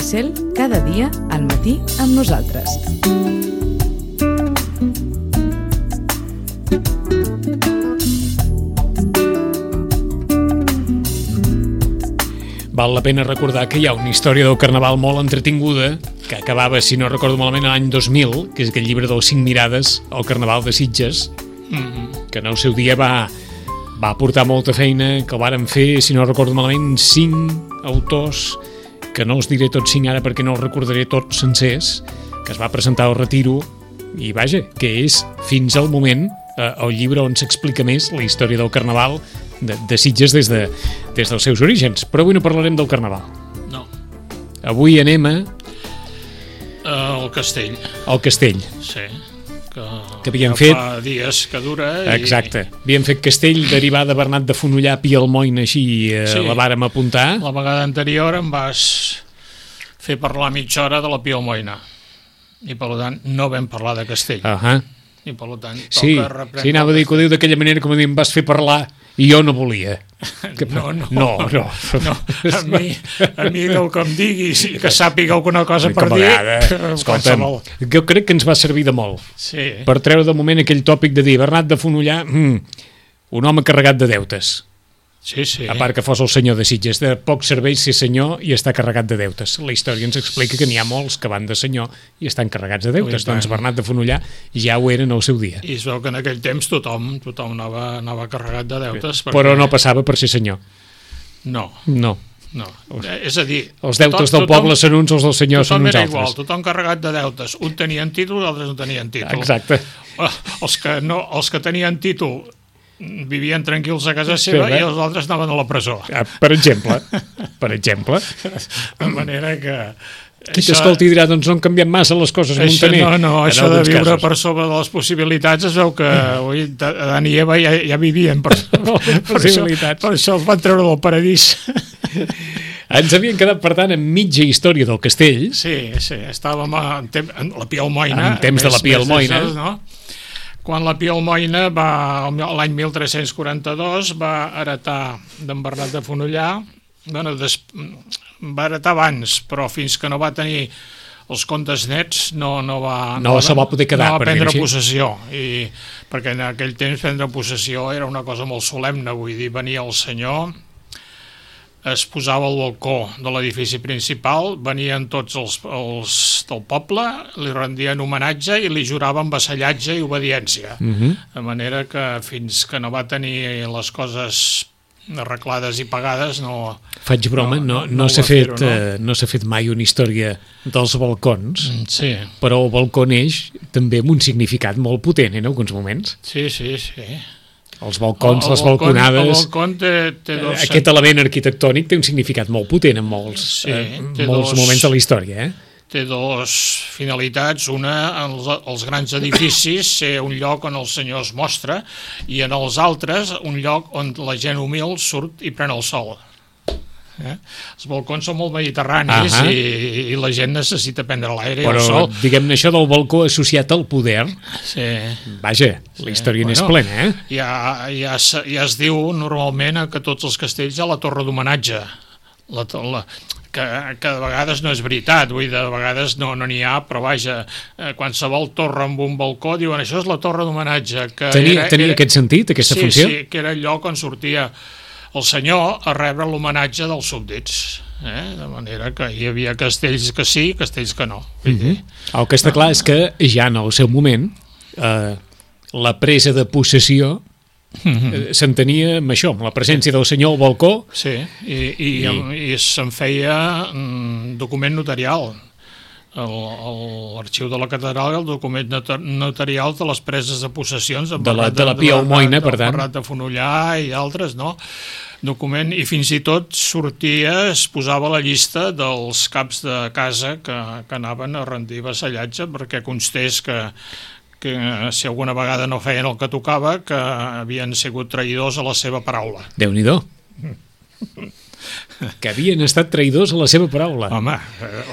Cel, cada dia al matí amb nosaltres. Val la pena recordar que hi ha una història del Carnaval molt entretinguda que acabava, si no recordo malament, l'any 2000, que és aquell llibre dels 5 mirades al Carnaval de Sitges, que en el seu dia va aportar molta feina, que el varen fer, si no recordo malament, 5 autors, que no els diré tots 5 ara perquè no els recordaré tots sencers, que es va presentar al Retiro, i vaja, que és fins al moment el llibre on s'explica més la història del Carnaval de Sitges des dels seus orígens. Però avui no parlarem del Carnaval. No. Avui anem al Castell. Al Castell. Sí. Que havíem fet... Fa dies que dura. Exacte. Havíem fet Castell, derivar de Bernat de Fonollar, Pi Almoina, així sí. La vàrem apuntar. La vegada anterior em vas fer parlar mitja hora de la Pi Almoina. I per tant no vam parlar de Castell. I per tant toca reprendre... Sí, anava a dir que ho diu d'aquella manera com a dir em vas fer parlar i jo no volia. No. A mi el que em diguis i que sàpiga alguna cosa per dir... Escolta'm, jo crec que ens va servir de molt. Sí. Per treure de moment aquell tòpic de dir Bernat de Fonollar, un home carregat de deutes. Sí. A part que fos el senyor de Sitges, de poc serveix ser senyor i està carregat de deutes. La història ens explica que n'hi ha molts que van de senyor i estan carregats de deutes. Doncs Bernat de Fonollar ja ho era en el seu dia. I es veu que en aquell temps tothom anava carregat de deutes. Però no passava per ser senyor. No. És a dir... Els deutes del poble són uns, els del senyor són uns altres. Tothom era igual, tothom carregat de deutes. Un tenien títol, altres no tenien títol. Exacte. Els que tenien títol vivien tranquils a casa seva i els altres anaven a la presó. Per exemple. De manera que... Qui t'escolti dirà, doncs no han canviat massa les coses, Montaner. Això de viure per sobre de les possibilitats es veu que Adán i Eva ja vivien per possibilitats. Per això els van treure del paradís. Ens havien quedat, per tant, en mitja història del castell. Sí, estàvem en la Pi Almoina. En temps de la Pi Almoina. Quan la Pi Almoina l'any 1342 va heretar d'en Bernat de Fonollar, va heretar abans, però fins que no va tenir els contes nets no se va poder quedar, no va prendre possessió, perquè en aquell temps prendre possessió era una cosa molt solemne, vull dir, venia el senyor, es posava al balcó de l'edifici principal, venien tots els del poble, li rendien homenatge i li juraven vassallatge i obediència. De manera que fins que no va tenir les coses arreglades i pagades no... Faig broma, no s'ha fet mai una història dels balcons, però el balcó neix també amb un significat molt potent en alguns moments. Sí. Els balcons, les balconades... El balcó té aquest element arquitectònic té un significat molt potent en molts moments de la història, Té dues finalitats. Una, els grans edificis, ser un lloc on el senyor es mostra, i en els altres, un lloc on la gent humil surt i pren el sol. Els balcons són molt mediterranis i la gent necessita prendre l'aire i el sol. Però diguem-ne això del balcó associat al poder, vaja, la història n'és plena, Ja es diu normalment que tots els castells hi ha la torre d'homenatge, que de vegades no és veritat, vull dir, de vegades no n'hi ha, però vaja, qualsevol torre amb un balcó diuen això és la torre d'homenatge. Tenia aquest sentit, aquesta funció? Sí, que era el lloc on sortia el senyor a rebre l'homenatge dels súbdits, de manera que hi havia castells que sí, castells que no. El que està clar és que ja en el seu moment la presa de possessió s'entenia amb això, amb la presència del senyor al balcó. Sí, i se'n feia document notarial. L'arxiu de la catedral, el document notarial de les preses de possessions de la Pi Almoina, per tant, Bernat de Fonollar i altres, no? Document, i fins i tot sortia, es posava la llista dels caps de casa que anaven a rendir vassallatge perquè constés que si alguna vegada no feien el que tocava, que havien sigut traïdors a la seva paraula. Déu-n'hi-do. Que havien estat traïdors a la seva paraula. Home,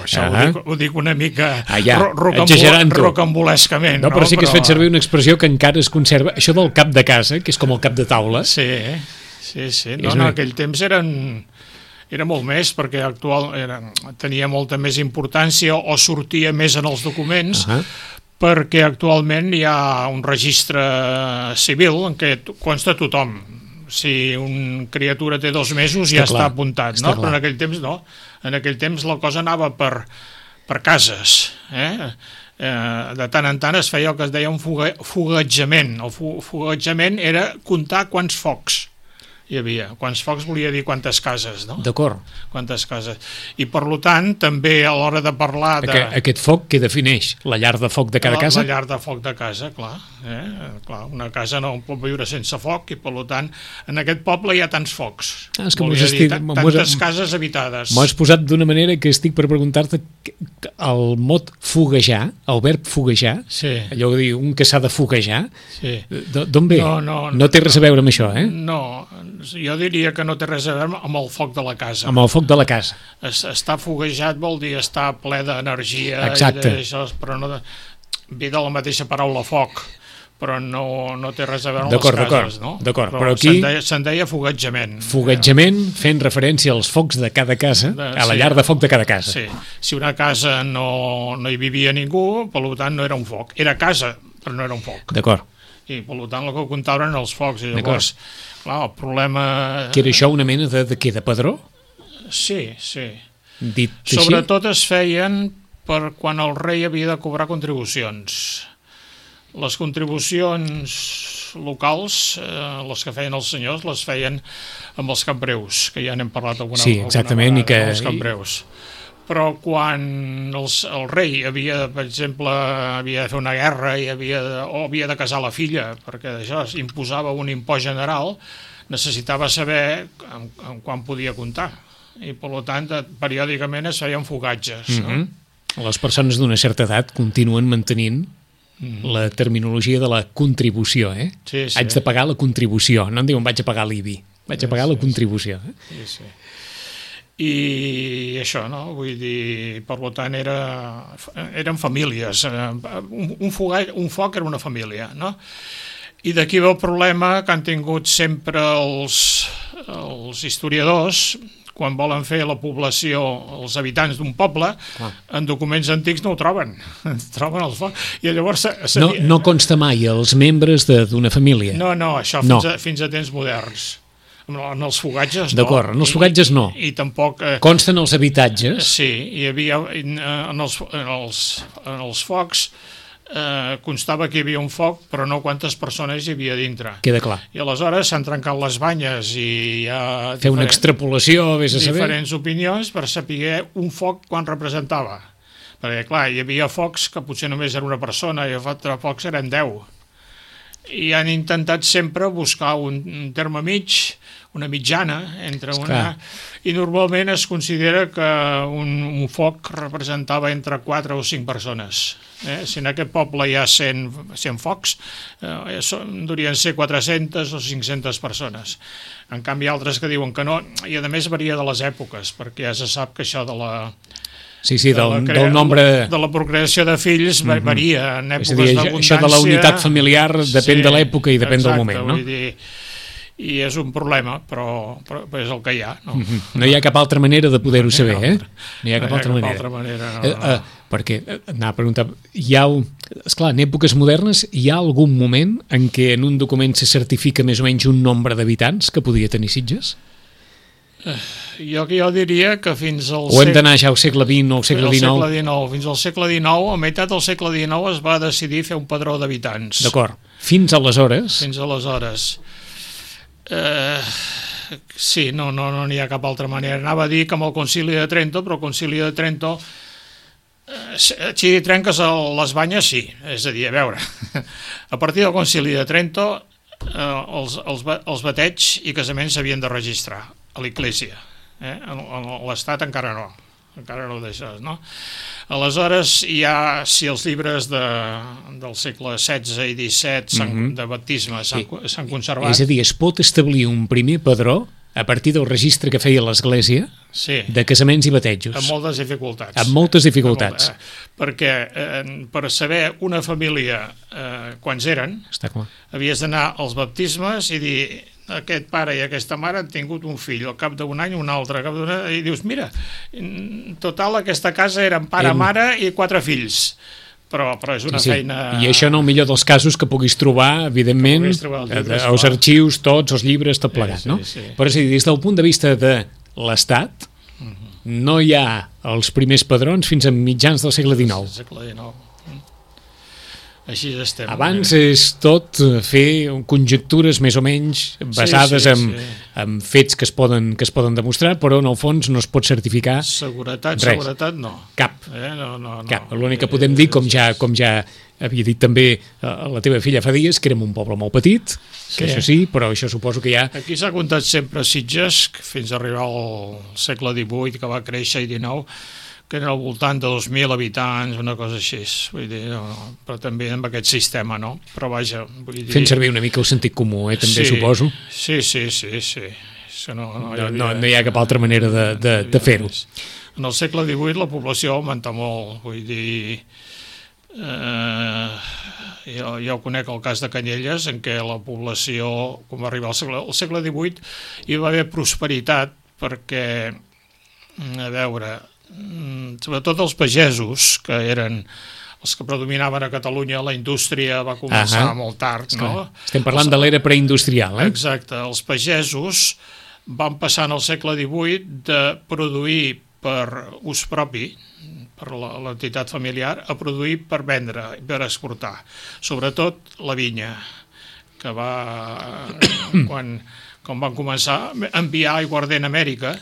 això ho dic una mica rocambolescament. rocambolescament. No, però sí que has fet servir una expressió que encara es conserva. Això del cap de casa, que és com el cap de taula. Sí. No, en aquell temps eren Era molt més, perquè tenia molta més importància o sortia més en els documents, perquè actualment hi ha un registre civil en què consta tothom. Si una criatura té 2 mesos ja està apuntat, no? Però en aquell temps no. En aquell temps la cosa anava per cases, de tant en tant es feia el que es deia un foguejament. El foguejament era comptar quants focs hi havia. Quants focs volia dir quantes cases, no? D'acord. Quantes cases. I per tant, també a l'hora de parlar de... Aquest foc què defineix? La llar de foc de cada casa? La llar de foc de casa, clar. Clar, una casa no pot viure sense foc i per tant, en aquest poble hi ha tants focs. És que tantes cases habitades. M'ho has posat d'una manera que estic per preguntar-te el mot foguejar, el verb foguejar, allò que diu un que s'ha de foguejar, d'on ve? No té res a veure amb això, No, jo diria que no té res a veure amb el foc de la casa. Amb el foc de la casa. Estar foguejat vol dir estar ple d'energia. Exacte. Però no ve de la mateixa paraula foc, però no té res a veure amb les cases, no? D'acord, però aquí... Se'n deia foguejament. Foguejament fent referència als focs de cada casa, a la llar de foc de cada casa. Sí, si una casa no hi vivia ningú, per tant no era un foc. Era casa, però no era un foc. D'acord. I per tant el que comptaven eren els focs. I llavors, clar, el problema... Que era això una mena de què? De padró? Sí. Dit així? Sobretot es feien per quan el rei havia de cobrar contribucions. Les contribucions locals, les que feien els senyors, les feien amb els campreus, que ja n'hem parlat alguna vegada. Sí, exactament. Els campreus. Però quan el rei havia, per exemple, havia de fer una guerra o havia de casar la filla, perquè això imposava un impost general, necessitava saber en quan podia comptar. I, per tant, periòdicament es feien fogatges. Les persones d'una certa edat continuen mantenint la terminologia de la contribució, Sí. Haig de pagar la contribució, no em diuen vaig a pagar l'IBI, vaig a pagar la contribució. Sí. I això, no? Vull dir, per tant, eren famílies. Un foc era una família, no? I d'aquí ve el problema que han tingut sempre els historiadors quan volen fer la població, els habitants d'un poble, en documents antics no ho troben. Troben els focs. I llavors... No consta mai els membres d'una família. No, això fins a temps moderns. En els fogatges no. D'acord, en els fogatges no. I tampoc... Consten els habitatges. Sí, hi havia en els focs constava que hi havia un foc, però no quantes persones hi havia dintre. Queda clar. I aleshores s'han trencat les banyes i hi ha... Fer una extrapolació, vés a saber. Diferents opinions per saber un foc quan representava. Perquè, clar, hi havia focs que potser només era una persona i altres focs eren 10. I han intentat sempre buscar un terme mig, una mitjana entre una... I normalment es considera que un foc representava entre 4 o 5 persones. Si en aquest poble hi ha 100 focs, durien ser 400 o 500 persones. En canvi, altres que diuen que no, i a més varia de les èpoques, perquè ja se sap que això de la... Sí, del nombre... De la procreació de fills varia en èpoques d'abundància... Això de la unitat familiar depèn de l'època i depèn del moment, no? Vull dir, i és un problema, però és el que hi ha. No hi ha cap altra manera de poder-ho saber, No hi ha cap altra manera. Perquè, anava a preguntar, esclar, en èpoques modernes hi ha algun moment en què en un document se certifica més o menys un nombre d'habitants que podia tenir Sitges? Jo diria que fins al O hem d'anar ja al segle XX o al segle XIX? Fins al segle XIX, a meitat del segle XIX es va decidir fer un padró d'habitants. D'acord. Fins aleshores? Fins aleshores. Sí, no n'hi ha cap altra manera. Anava a dir que amb el Concili de Trento, però el Concili de Trento si trenques les banyes, sí. És a dir, a veure, a partir del Concili de Trento els bateigs i casaments s'havien de registrar a l'Església. L'Estat encara no deixes, no? Aleshores, si els llibres del segle XVI i XVII de baptisme s'han conservat... És a dir, es pot establir un primer padró a partir del registre que feia l'Església de casaments i batejos. Amb moltes dificultats. Amb moltes dificultats. Perquè per saber una família quants eren, havies d'anar als baptismes i dir aquest pare i aquesta mare han tingut un fill, al cap d'un any un altre, al cap d'un any, i dius, mira, en total aquesta casa eren pare, mare i 4 fills. Però és una feina... I això en el millor dels casos que puguis trobar, evidentment, els arxius, tots, els llibres, tot plegat, no? Però és a dir, des del punt de vista de l'Estat, no hi ha els primers padrons fins a mitjans del segle XIX. Segle XIX. Així estem. Abans és tot fer conjectures més o menys basades en fets que es poden demostrar, però en el fons no es pot certificar Seguretat no. Cap. No. Cap. L'únic que podem dir, com ja havia dit també la teva filla fa dies, que érem un poble molt petit, que això sí, però això suposo que ja... Aquí s'ha comptat sempre Sitges, fins a arribar al segle XVIII, que va créixer, i XIX, que era al voltant de 2.000 habitants, una cosa així, vull dir, però també amb aquest sistema, no? Però vaja, vull dir... Fent servir una mica el sentit comú, també suposo. Sí. No hi ha cap altra manera de fer-ho. En el segle XVIII la població augmenta molt, vull dir... jo conec el cas de Canyelles, en què la població, com va arribar al segle XVIII, hi va haver prosperitat, perquè, a veure... sobretot els pagesos, que eren els que predominaven a Catalunya, la indústria va començar molt tard, no? Estem parlant de l'era preindustrial, Exacte, els pagesos van passar en el segle XVIII de produir per ús propi, per l'entitat familiar, a produir per vendre, per exportar, sobretot la vinya, que va... quan van començar a enviar aiguardent a Amèrica,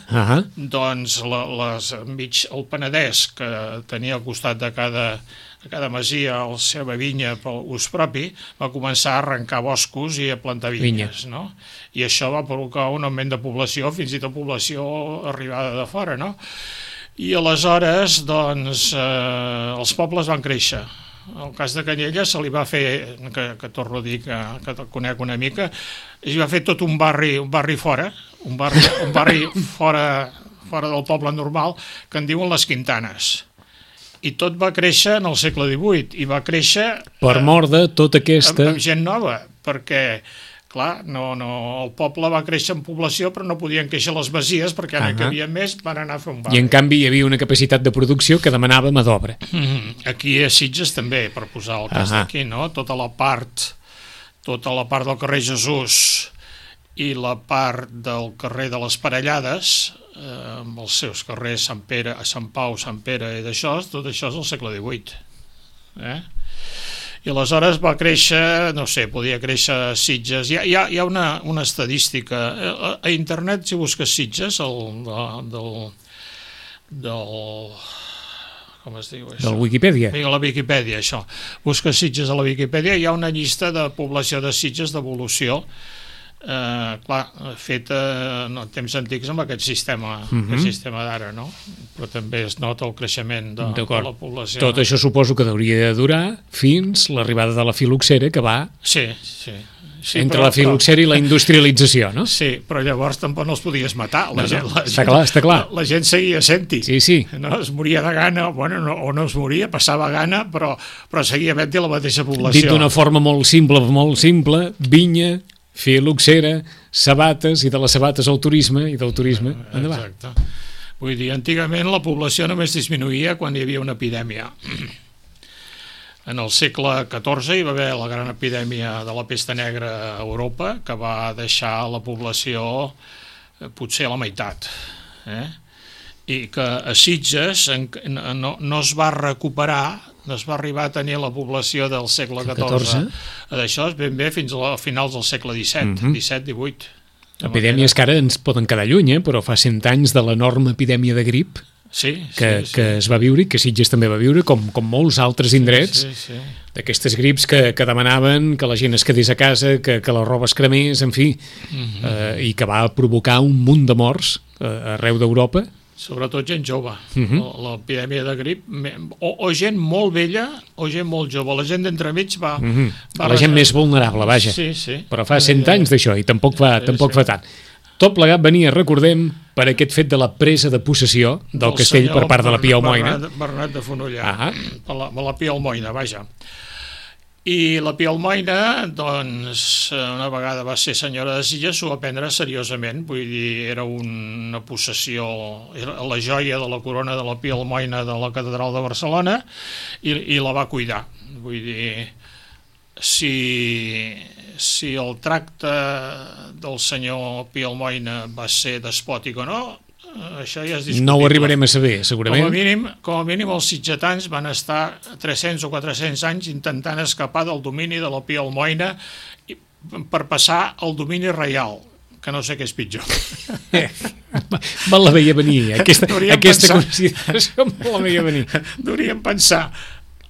doncs el Penedès, que tenia al costat de cada masia la seva vinya per ús propi, va començar a arrencar boscos i a plantar vinyes, no? I això va provocar un augment de població, fins i tot població arribada de fora, no? I aleshores, doncs, els pobles van créixer. El cas de Canyelles se li va fer, que torno a dir que el conec una mica, es va fer tot un barri fora, un barri fora del poble normal, que en diuen les Quintanes. I tot va créixer en el segle XVIII, i va créixer... Per mort de tota aquesta... Amb gent nova, perquè... Clar, el poble va créixer en població, però no podien créixer les masies, perquè ara que hi havia més van anar a fer un barri. I en canvi hi havia una capacitat de producció que demanava mà d'obra. Aquí a Sitges també, per posar el cas d'aquí, no? Tota la part del carrer Jesús i la part del carrer de les Parellades, amb els seus carrers Sant Pere, Sant Pau, Sant Pere i d'això, tot això és del segle XVIII. I aleshores va créixer, no sé, podia créixer a Sitges. Hi ha una estadística. A internet, si busques Sitges, com es diu això? Del Wikipedia. A la Wikipedia, això. Busques Sitges a la Wikipedia, hi ha una llista de població de Sitges d'evolució, feta en temps antics amb aquest sistema d'ara, no? Però també es nota el creixement de la població. Tot això suposo que hauria de durar fins l'arribada de la filoxera, que va entre la filoxera i la industrialització, no? Sí, però llavors tampoc no els podies matar. Està clar. La gent seguia sent-hi. Sí. No es moria de gana, o no es moria, passava gana, però seguia havent-hi la mateixa població. Dit d'una forma molt simple, vinya, filoxera, sabates, i de les sabates al turisme, i del turisme endavant. Exacte. Vull dir, antigament la població només disminuïa quan hi havia una epidèmia. En el segle XIV hi va haver la gran epidèmia de la pesta negra a Europa, que va deixar la població potser a la meitat. I que a Sitges no es va recuperar, no es va arribar a tenir la població del segle XIV. D'això és ben bé fins a finals del segle XVII, XVIII. Epidèmies que ara ens poden quedar lluny, però fa 100 anys de l'enorme epidèmia de grip que es va viure i que Sitges també va viure, com molts altres indrets, d'aquestes grips que demanaven que la gent es quedés a casa, que la roba es cremés, en fi, i que va provocar un munt de morts arreu d'Europa. Sobretot gent jove. L'epidèmia de grip, o gent molt vella o gent molt jove. La gent d'entremig va... La gent més vulnerable, vaja. Sí. Però fa 100 anys d'això, i tampoc fa tant. Tot plegat venia, recordem, per aquest fet de la presa de possessió del castell per part de la Pia Almoina. Bernat de Fonollà, la Pia Almoina, vaja. I la Pi Almoina, doncs, una vegada va ser senyora de Sitges, s'ho va prendre seriosament, vull dir, era una possessió, era la joia de la corona de la Pi Almoina de la Catedral de Barcelona, i la va cuidar. Vull dir, si el tracte del senyor Pi Almoina va ser despòtic o no, això ja és discutible. No ho arribarem a saber, segurament. Com a mínim els sitgetans van estar 300 o 400 anys intentant escapar del domini de la Pi Almoina per passar al domini reial, que no sé què és pitjor. Me la veia venir, aquesta consideració me la veia venir. Deuríem pensar,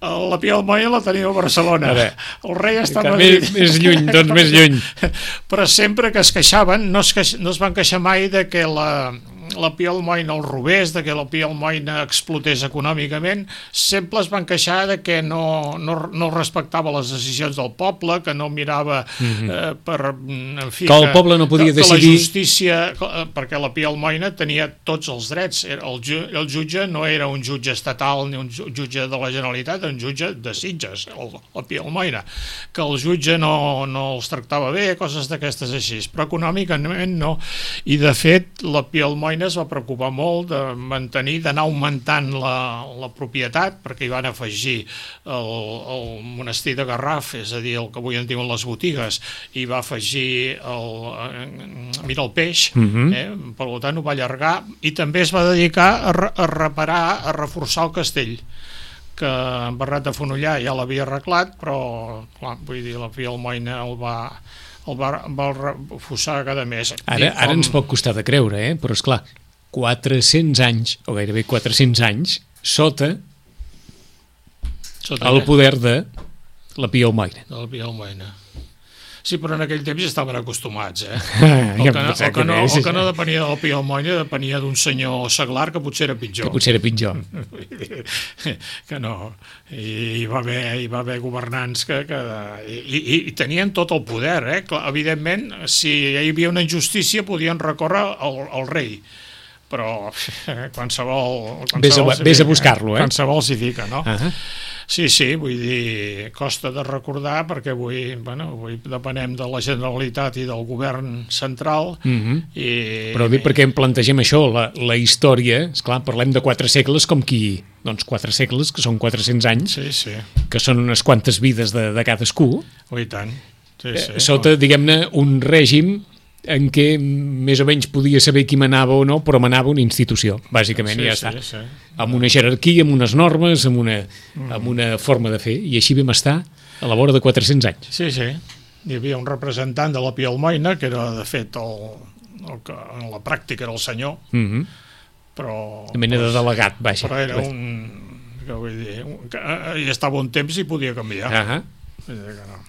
la Pi Almoina la tenia a Barcelona, el rei està a Madrid. Més lluny, doncs més lluny. Però sempre que es queixaven, no es van queixar mai de que la Pi Almoina el robés, de que la Pi Almoina explotés econòmicament, sempre es van queixar de que no respectava les decisions del poble, que no mirava en fi, que el poble no podia decidir. Que la justícia, perquè la Pi Almoina tenia tots els drets, el jutge no era un jutge estatal ni un jutge de la Generalitat, era un jutge de Sitges, la Pi Almoina, que el jutge no els tractava bé, coses d'aquestes així, però econòmicament no, i de fet la Pi Almoina es va preocupar molt de mantenir, d'anar augmentant la propietat, perquè hi van afegir el monestir de Garraf, és a dir, el que avui en diuen les botigues, i va afegir el peix, per tant ho va allargar, i també es va dedicar a reparar, a reforçar el castell, que en Bernat de Fonollar ja l'havia arreglat, però clar, vull dir, la Pi Almoina el va reforçar cada mes. Ara ens pot costar de creure, però esclar, 400 anys, o gairebé 400 anys, sota el poder de la Pi Almoina. De la Pi Almoina. Sí, però en aquell temps ja estaven acostumats, El que no depenia de la Pi Almoina, depenia d'un senyor seglar que potser era pitjor. Que no. I hi va haver governants que tenien tot el poder, Evidentment, si hi havia una injustícia podien recórrer al rei, però qualsevol Ves a buscar-lo, qualsevol s'hi fica, no? Sí, vull dir, costa de recordar perquè avui depenem de la Generalitat i del govern central. Però dic perquè em plantegem això, la història, esclar, parlem de 4 segles com qui... Doncs 4 segles, que són 400 anys, que són unes quantes vides de cadascú. I tant. Sota, diguem-ne, un règim en què més o menys podia saber qui manava o no, però manava una institució, bàsicament, i ja està. Amb una jerarquia, amb unes normes, amb una forma de fer, i així vam estar a la vora de 400 anys. Sí. Hi havia un representant de la Pi Almoina, que era, de fet, el que en la pràctica era el senyor, però... Una mena de delegat, vaja. Però era que vull dir, hi estava un temps i podia canviar. Vull dir que no.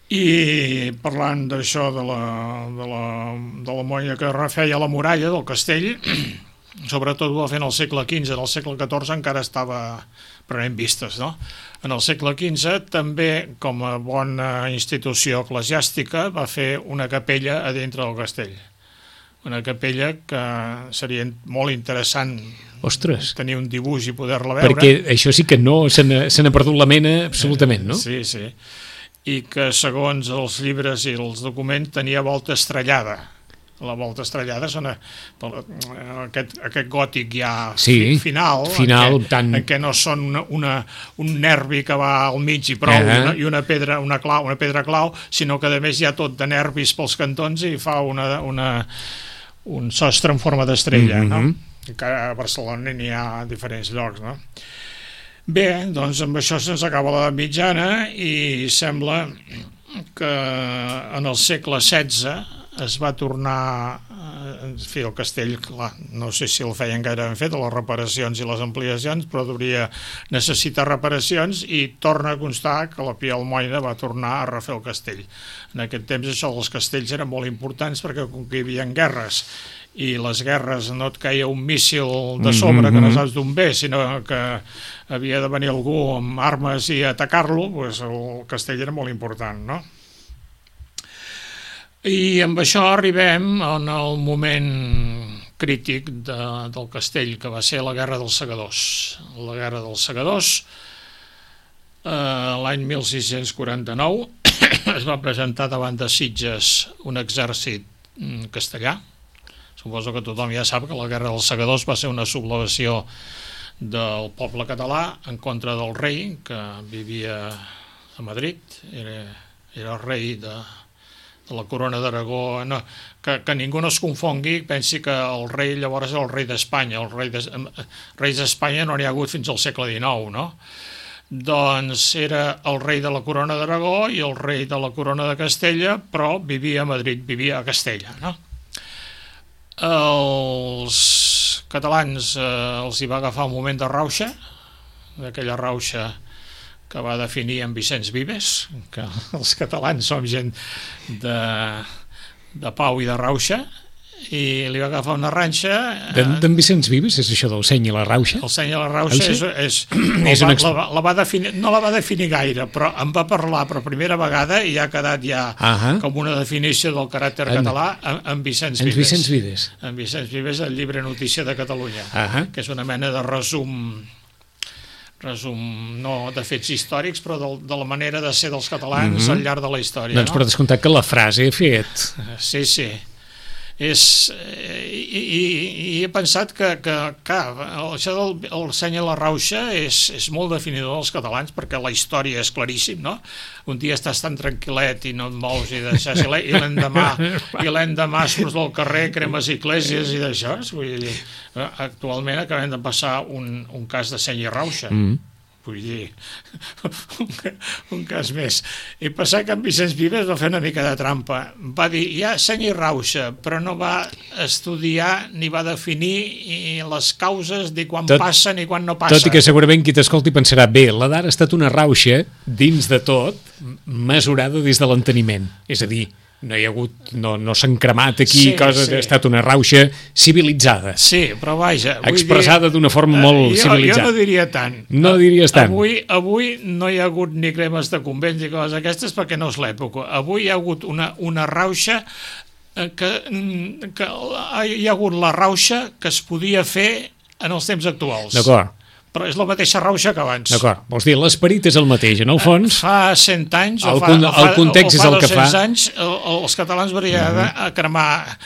I parlant d'això de la molla que refeia la muralla del castell, sobretot ho va fer en el segle XV, en el segle XIV encara estava prenent vistes, no? En el segle XV també, com a bona institució eclesiàstica, va fer una capella a dintre del castell, una capella que seria molt interessant tenir un dibuix i poder-la veure, perquè això sí que no se n'ha perdut la mena absolutament, no? Sí, i que segons els llibres i els documents tenia volta estrellada. La volta estrellada és aquest gòtic ja final en què no són un nervi que va al mig i prou i una pedra clau, sinó que a més hi ha tot de nervis pels cantons i fa un sostre en forma d'estrella, no? Que a Barcelona n'hi ha a diferents llocs, no? Bé, doncs amb això se'ns acaba l'edat mitjana i sembla que en el segle XVI es va tornar a fer el castell, clar, no sé si el feien gaire ben fet, les reparacions i les ampliacions, però necessitar reparacions i torna a constar que la Pi Almoina va tornar a refer el castell. En aquest temps això dels castells eren molt importants perquè com que hi havia guerres i les guerres no et caia un míssil de sobre que no saps d'on ve, sinó que havia de venir algú amb armes i atacar-lo, doncs el castell era molt important, no? I amb això arribem en el moment crític del castell, que va ser la Guerra dels Segadors. La Guerra dels Segadors l'any 1649 es va presentar davant de Sitges un exèrcit castellà. Suposo que tothom ja sap que la Guerra dels Segadors va ser una sublevació del poble català en contra del rei, que vivia a Madrid, era rei de la corona d'Aragó. No, que ningú no es confongui, pensi que el rei llavors era el rei d'Espanya. Reis d'Espanya no n'hi ha hagut fins al segle XIX, no? Doncs era el rei de la corona d'Aragó i el rei de la corona de Castella, però vivia a Madrid, vivia a Castella, no? Els catalans els hi va agafar un moment de rauxa, d'aquella rauxa que va definir en Vicenç Vives, que els catalans som gent de pau i de rauxa, i li va agafar una ranxa. D'en Vicenç Vives és això del seny i la rauxa? El seny i la rauxa no la va definir gaire, però en va parlar per primera vegada i ha quedat com una definició del caràcter català en Vicenç Vives. En Vicenç Vives, el llibre Notícia de Catalunya, que és una mena de resum no de fets històrics, però de la manera de ser dels catalans al llarg de la història. Doncs per descomptat que la frase he fet. Sí. I he pensat que això del seny i la rauxa és molt definidor dels catalans, perquè la història és claríssim, no? Un dia estàs tan tranquil·let i no et mous i deixes, i l'endemà surts del carrer, cremes esglésies i d'això. Actualment acabem de passar un cas de seny i rauxa. Vull dir, un cas més. I passar que en Vicenç Vives va fer una mica de trampa. Va dir, ja seny i rauxa, però no va estudiar ni va definir les causes de quan passa ni quan no passa. Tot i que segurament qui t'escolti pensarà, bé, la d'ara ha estat una rauxa, dins de tot, mesurada des de l'enteniment. És a dir, no hi ha hagut, no s'han cremat aquí coses, ha estat una rauxa civilitzada. Sí, però vaja... Expressada d'una forma molt civilitzada. Jo no diria tant. No diries tant. Avui no hi ha hagut ni cremes de convents i coses aquestes perquè no és l'època. Avui hi ha hagut una rauxa que hi ha hagut la rauxa que es podia fer en els temps actuals. D'acord. Però és la mateixa rauxa que abans. D'acord, vols dir, l'esperit és el mateix, en el fons. Fa 100 anys el context és el que fa. 200 anys els catalans varien a cremar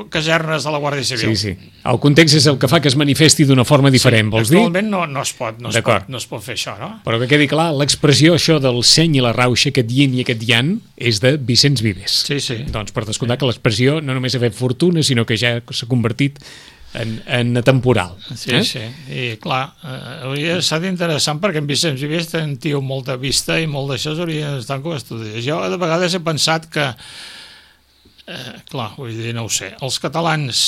casernes de la Guàrdia Civil. Sí. El context és el que fa que es manifesti d'una forma diferent, vols dir? Actualment no es pot fer això, no? Però que quedi clar, l'expressió això del seny i la rauxa, aquest yin i aquest yang, és de Vicenç Vives. Sí. Doncs per descomptar que l'expressió no només ha fet fortuna, sinó que ja s'ha convertit en atemporal. Sí. I clar, hauria estat interessant perquè en Vicenç Vives té un tio amb molta vista i molt d'això hauria d'estar com estudies. Jo de vegades he pensat que clar, vull dir, no ho sé, els catalans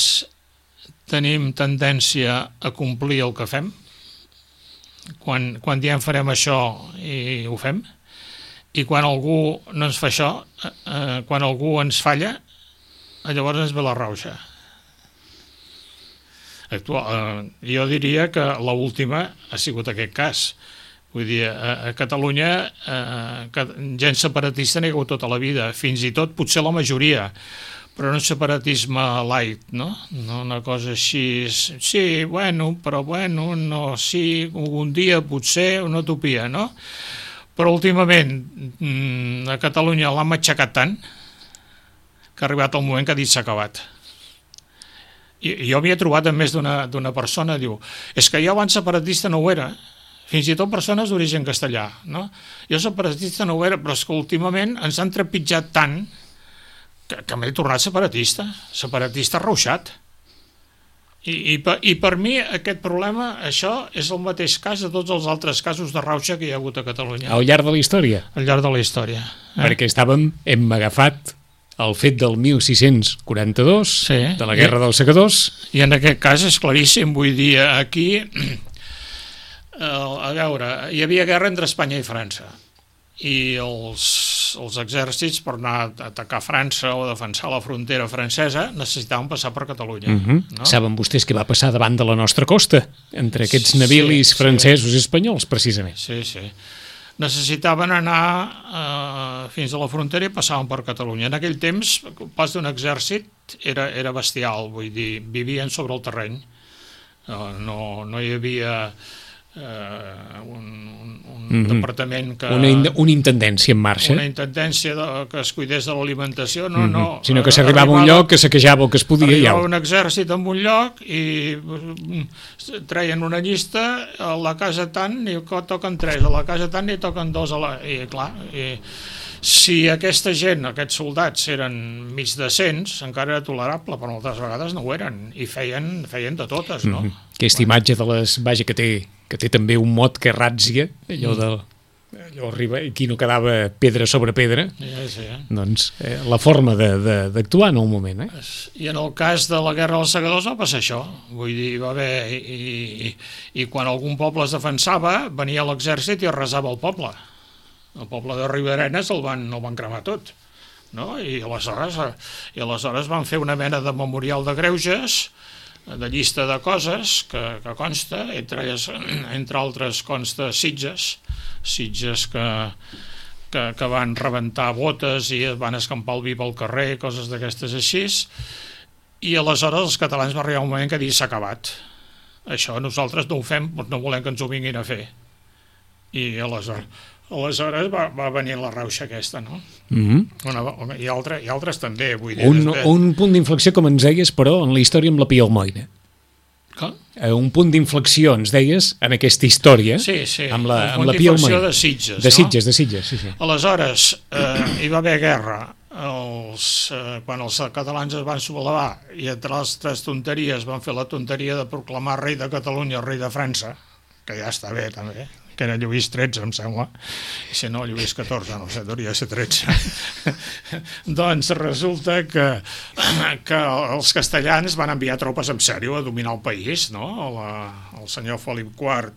tenim tendència a complir el que fem. Quan diem farem això i ho fem, i quan algú no ens fa això, quan algú ens falla, llavors ens ve la rauxa. Jo diria que l'última ha sigut aquest cas. Vull dir, a Catalunya gent separatista n'hi ha hagut tota la vida, fins i tot potser la majoria, però no un separatisme light, no? Una cosa així, sí, però no, sí, un dia potser una utopia, no? Però últimament a Catalunya l'han matxacat tant que ha arribat el moment que ha dit s'ha acabat. I jo m'hi he trobat amb més d'una persona, diu, és que jo abans separatista no ho era, fins i tot persones d'origen castellà, no? Jo separatista no ho era, però és que últimament ens han trepitjat tant que m'he tornat separatista rauxat. I per mi aquest problema, això és el mateix cas de tots els altres casos de rauxa que hi ha hagut a Catalunya. Al llarg de la història? Al llarg de la història. Perquè hem agafat el fet del 1642, de la Guerra dels Segadors. I en aquest cas és claríssim, vull dir, aquí, a veure, hi havia guerra entre Espanya i França, i els exèrcits, per anar a atacar França o defensar la frontera francesa, necessitaven passar per Catalunya. No? Saben vostès què va passar davant de la nostra costa, entre aquests navilis francesos i espanyols, precisament. Sí. Necessitaven anar fins a la frontera i passaven per Catalunya. En aquell temps, el pas d'un exèrcit era bestial, vull dir, vivien sobre el terreny. No hi havia un departament que... Una intendència en marxa. Una intendència que es cuidés de l'alimentació, sinó que s'arribava a un lloc, que saquejava el que es podia. Arribava un exèrcit en un lloc i treien una llista, a la casa tant n'hi toquen 3, a la casa tant n'hi toquen 2, i clar, si aquesta gent, aquests soldats, eren mig decents, encara era tolerable, però moltes vegades no ho eren, i feien de totes, no? Aquesta imatge de les... Vaja, que té també un mot que ràtzia, allò arriba, aquí no quedava pedra sobre pedra, doncs la forma d'actuar en el moment. I en el cas de la Guerra dels Segadors va passar això, vull dir, va haver... I quan algun poble es defensava, venia l'exèrcit i arrasava el poble. El poble de Riudarenes el van cremar tot, no? I aleshores van fer una mena de memorial de greuges, de llista de coses que consta, entre altres consta Sitges que van rebentar botes i van escampar el vi pel carrer, coses d'aquestes així, i aleshores els catalans va arribar un moment que dir s'ha acabat. Això nosaltres no ho fem, no volem que ens ho vinguin a fer. I aleshores va venir la rauxa aquesta, no? I altres també, vull dir... Un punt d'inflexió, com ens deies, però, en la història amb la Pia Almoina. Com? Un punt d'inflexió, ens deies, en aquesta història, sí, amb la Pia Almoina. De Sitges, de Sitges, sí. Aleshores, hi va haver guerra. Quan els catalans es van sublevar i entre les 3 tonteries van fer la tonteria de proclamar rei de Catalunya, rei de França, que ja està bé també, que era Lluís XIII, em sembla, i si no, Lluís XIV, no sé, hauria de ser 13. Doncs resulta que els castellans van enviar tropes en sèrio a dominar el país, no? El senyor Felip IV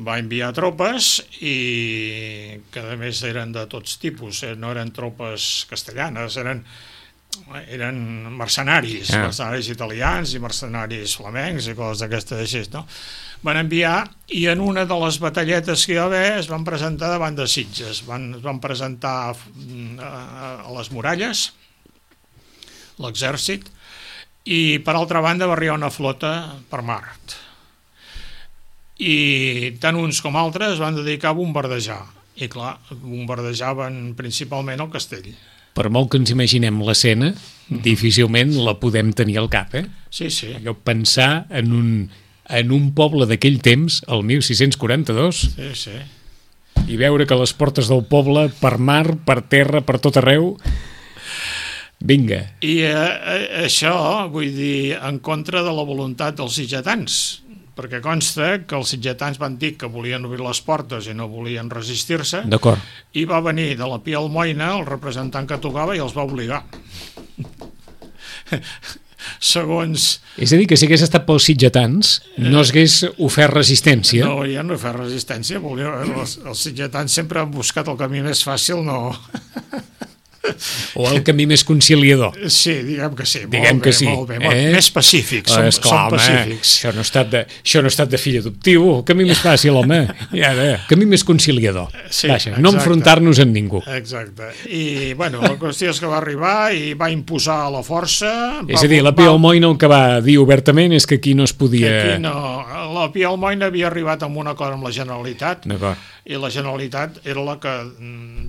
va enviar tropes i que a més eren de tots tipus, no eren tropes castellanes, eren mercenaris, mercenaris italians i mercenaris flamencs i coses d'aquestes així, no? Van enviar i en una de les batalletes que hi va haver es van presentar davant de Sitges, es van presentar a les muralles l'exèrcit i per altra banda va arribar una flota per mar i tant uns com altres van dedicar a bombardejar i clar, bombardejaven principalment el castell. Per molt que ens imaginem l'escena, difícilment la podem tenir al cap, Sí. Allò pensar en un poble d'aquell temps, el 1642, sí. I veure que les portes del poble, per mar, per terra, per tot arreu, vinga. I això, vull dir, en contra de la voluntat dels sitgetans, perquè consta que els sitgetans van dir que volien obrir les portes i no volien resistir-se. D'acord. I va venir de la Pia Almoina, el representant que tocava, i els va obligar. Segons... És a dir, que si hagués estat pels sitgetans, no s'hagués ofert resistència. No, ja no he fet resistència. Els sitgetans sempre han buscat el camí més fàcil, no... O el camí més conciliador. Sí, diguem que sí. Molt bé. Més pacífics, som pacífics. Això no ha estat de fill adoptiu, el camí més fàcil, home. Camí més conciliador. Sí, vaja, no enfrontar-nos amb ningú. Exacte. I, bueno, la qüestió és que va arribar i va imposar la força... És a dir, la Pia Almoina el que va dir obertament és que aquí no es podia... Aquí no. La Pia Almoina havia arribat amb un acord amb la Generalitat. D'acord. I la Generalitat era la que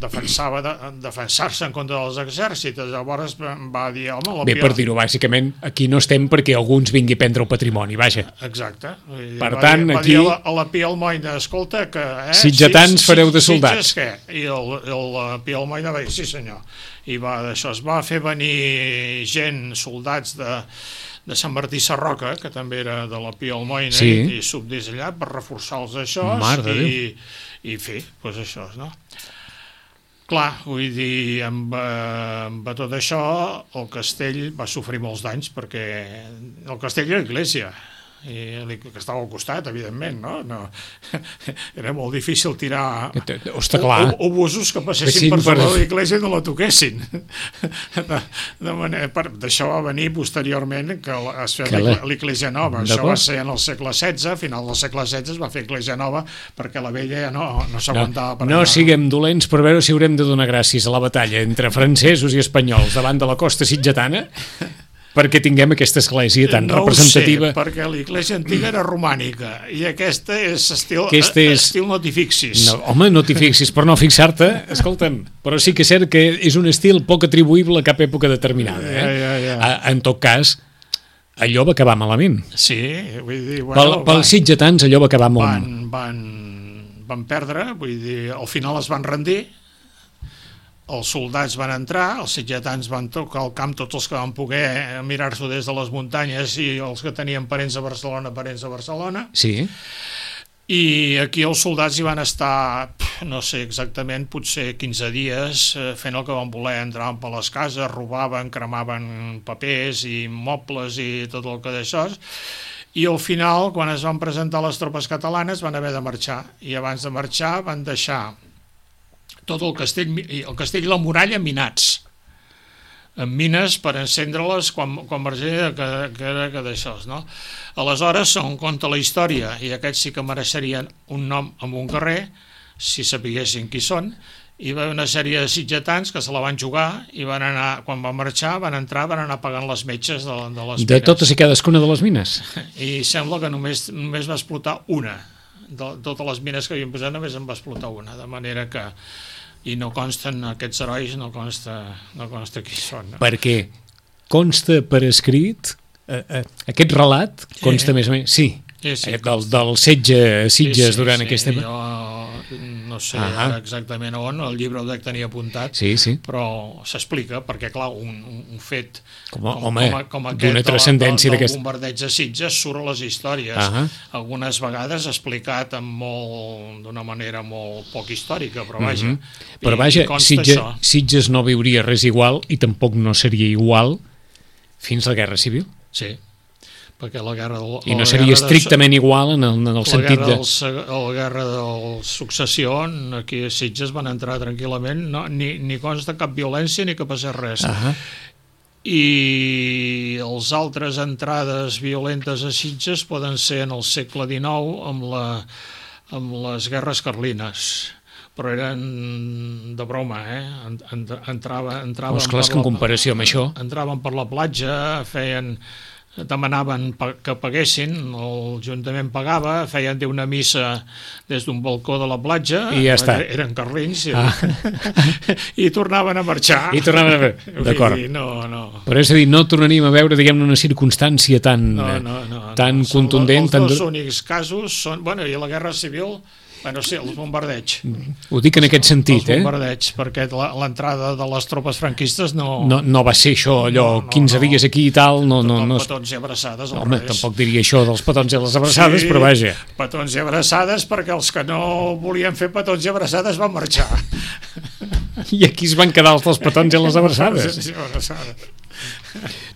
defensar-se en contra dels exèrcits. Llavors va dir, home... Bé, per dir-ho bàsicament, aquí no estem perquè algú ens vingui a prendre el patrimoni, vaja. Exacte. Per tant, aquí... Va dir a la Pia Almoina, escolta, que... Sitgetans fareu de soldats. Sitges, què? I la Pia Almoina va dir, sí senyor. I d'això es va fer venir gent, soldats de Sant Martí Sarroca, que també era de la Pia Almoina, i subdis allà per reforçar els això i fer, doncs això, no? Clar, vull dir, amb tot això el castell va sofrir molts danys perquè el castell era l'església que estava al costat, evidentment, no? Era molt difícil tirar obusos que passessin per sobre l'església i no la toquessin. D'això va venir posteriorment que es feia l'església nova. Això va ser en el segle XVI, a final del segle XVI es va fer l'església nova perquè la vella ja no s'aguantava. No siguem dolents per veure si haurem de donar gràcies a la batalla entre francesos i espanyols davant de la costa sitgetana perquè tinguem aquesta església tan representativa. No ho sé, perquè l'església antiga era romànica i aquesta és estil no t'hi fixis. No, home, no t'hi fixis, per no fixar-te, escolta'm, però sí que és cert que és un estil poc atribuïble a cap època determinada. Ja. En tot cas, allò va acabar malament. Sí, vull dir... Bueno, pels sitgetans allò va acabar molt... Van perdre, vull dir, al final es van rendir, els soldats van entrar, els sitgetans van tocar el camp, tots els que van poder mirar-s'ho des de les muntanyes i els que tenien parents a Barcelona. Sí. I aquí els soldats hi van estar, no sé exactament, potser 15 dies fent el que van voler, entraven per les cases, robaven, cremaven papers i mobles i tot el que d'això. I al final, quan es van presentar les tropes catalanes, van haver de marxar. I abans de marxar van deixar tot el castell i la muralla minats, amb mines per encendre-les quan marxaria que era d'això, no? Aleshores, on conta la història, i aquests sí que mereixerien un nom en un carrer, si sapiguessin qui són, hi va haver una sèrie de sitgetans que se la van jugar i van anar, quan van marxar, van anar pagant les metges de les mines. De totes i cadascuna de les mines? I sembla que només va explotar una. De totes les mines que havien posat només en va explotar una, de manera que... I no consten aquests herois, no consta qui són. No? Perquè consta per escrit, aquest relat consta més o menys... Sí, del setge a Sitges durant aquesta... Jo no sé exactament on, el llibre ho dec tenir apuntat, però s'explica, perquè clar, un fet com aquest del bombardeig de Sitges surt a les històries, algunes vegades explicat d'una manera molt poc històrica, però vaja. Però vaja, Sitges no viuria res igual i tampoc no seria igual fins a la Guerra Civil. Sí, perquè la guerra i no seria estrictament igual en el sentit de... La guerra de successió, aquí a Sitges van entrar tranquil·lament, ni consta cap violència ni que passés res. I les altres entrades violentes a Sitges poden ser en el segle XIX amb les guerres carlines, però eren de broma, entraven clar, que en comparació amb això... Entraven per la platja, demanaven que paguessin, l'Ajuntament pagava, feien una missa des d'un balcó de la platja, i ja està. Eren carlins, i tornaven a marxar. D'acord. No. Però és a dir, no tornaríem a veure, diguem-ne, una circumstància tan contundent... Els dos únics casos són... Bueno, i la Guerra Civil... Bueno, sí, els bombardeigs. Ho dic en aquest sentit, Els bombardeigs, perquè l'entrada de les tropes franquistes no va ser això, allò, 15 dies aquí i tal... Petons i abraçades. Home, tampoc diria això dels petons i les abraçades, però vaja. Petons i abraçades, perquè els que no volien fer petons i abraçades van marxar. I aquí es van quedar els dels petons i les abraçades. Sí, abraçades.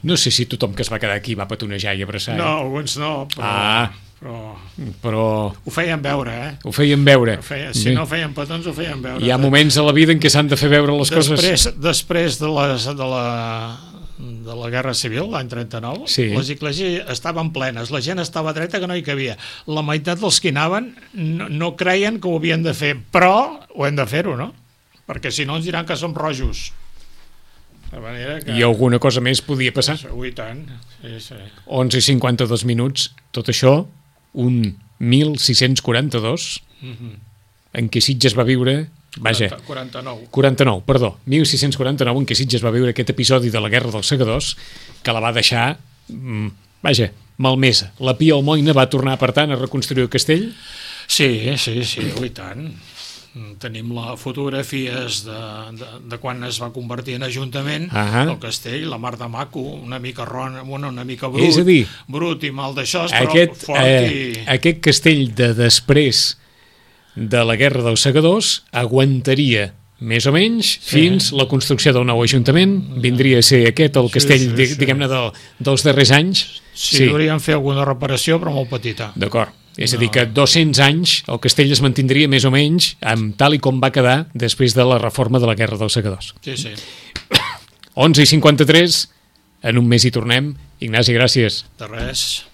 No sé si tothom que es va quedar aquí va petonejar i abraçar. No, alguns no, però ho feien veure, Ho feien veure. Si no feien petons, ho feien veure. Hi ha moments a la vida en què s'han de fer veure les coses. Després de la Guerra Civil, l'any 39, les esglésies estaven plenes, la gent estava dreta que no hi cabia. La meitat dels que hi anaven no creien que ho havien de fer, però ho hem de fer-ho, no? Perquè si no ens diran que som rojos. I alguna cosa més podia passar. I tant. 11:52 minuts, tot això un 1642 en què Sitges va viure 49, perdó, 1649 en què Sitges va viure aquest episodi de la Guerra dels Segadors que la va deixar malmesa. La Pia Almoina va tornar, per tant, a reconstruir el castell? Sí, i tant. Tenim les fotografies de quan es va convertir en ajuntament el castell, la mar de maco, una mica una mica brut, és a dir, brut i mal d'això, però fort aquest castell de després de la Guerra dels Segadors aguantaria més o menys fins la construcció del nou ajuntament. Vindria a ser aquest el castell, diguem-ne, dels darrers anys. Sí, hauríem fer alguna reparació, però molt petita. D'acord. És a dir, que 200 anys el castell es mantindria més o menys tal i com va quedar després de la reforma de la Guerra dels Segadors. Sí. 11:53, en un mes hi tornem. Ignasi, gràcies. De res.